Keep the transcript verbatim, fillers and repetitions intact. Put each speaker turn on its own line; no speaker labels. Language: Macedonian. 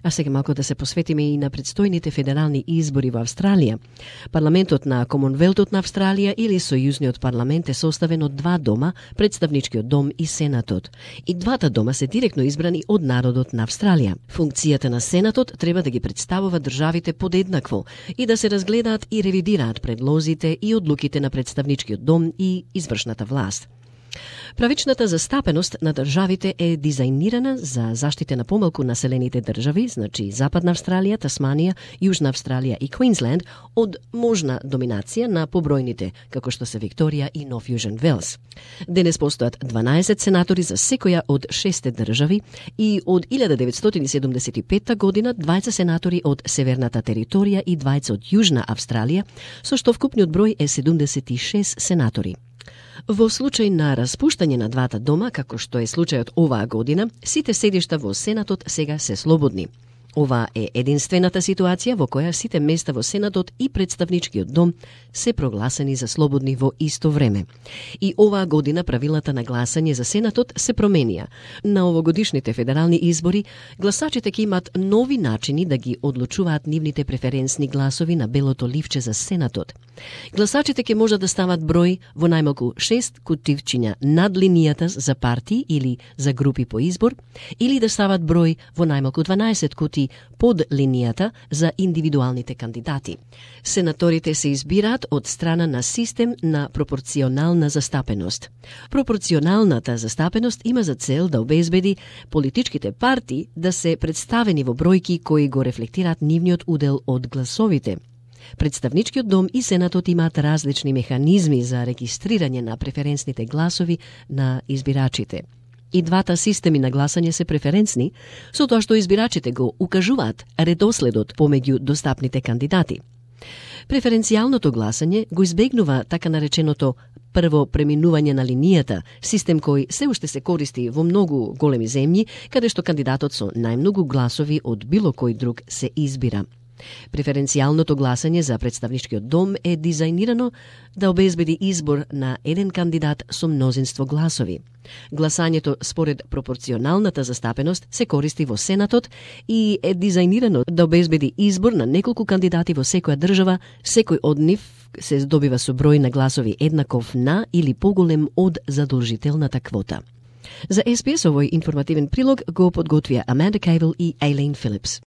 А сега малку да се посветиме и на предстојните федерални избори во Австралија. Парламентот на Комонвелтот на Австралија или Сојузниот парламент е составен од два дома, Представничкиот дом и Сенатот. И двата дома се директно избрани од народот на Австралија. Функцијата на Сенатот треба да ги представува државите подеднакво и да се разгледаат и ревидираат предлозите и одлуките на Представничкиот дом и извршната власт. Правичната застапеност на државите е дизајнирана за заштита на помалку населените држави, значи Западна Австралија, Тасманија, Јужна Австралија и Квинсленд, од можна доминација на побројните, како што се Викторија и Нов Јужен Велс. Денес постојат дванаесет сенатори за секоја од шесте држави и од илјада деветстотини седумдесет и петта година двајца сенатори од Северната територија и двајца од Јужна Австралија, со што вкупниот број е седумдесет и шест сенатори. Во случај на распуштање на двата дома, како што е случајот оваа година, сите седишта во Сенатот сега се слободни. Ова е единствената ситуација во која сите места во Сенатот и Представничкиот дом се прогласени за слободни во исто време. И оваа година правилата на гласање за Сенатот се променија. На овогодишните федерални избори, гласачите ќе имаат нови начини да ги одлучуваат нивните преференсни гласови на белото ливче за Сенатот. Гласачите ќе можат да стават број во најмалку шест кутивчиња над линијата за партии или за групи по избор, или да стават број во најмалку дванаесет кутии под линијата за индивидуалните кандидати. Сенаторите се избираат од страна на систем на пропорционална застапеност. Пропорционалната застапеност има за цел да обезбеди политичките партии да се представени во бројки кои го рефлектираат нивниот удел од гласовите. Представничкиот дом и Сенатот имаат различни механизми за регистрирање на преференсните гласови на избирачите. И двата системи на гласање се преференсни, со тоа што избирачите го укажуваат редоследот помеѓу достапните кандидати. Преференцијалното гласање го избегнува така нареченото прво преминување на линијата, систем кој се уште се користи во многу големи земји, каде што кандидатот со најмногу гласови од било кој друг се избира. Преференцијалното гласање за Представничкиот дом е дизајнирано да обезбеди избор на еден кандидат со мнозинство гласови. Гласањето според пропорционалната застапеност се користи во Сенатот и е дизајнирано да обезбеди избор на неколку кандидати во секоја држава, секој од нив се здобива со број на гласови еднаков на или поголем од задолжителната квота. За Ес Би Ес овој информативен прилог го подготвија Аманда Кейвел и Ейлейн Филипс.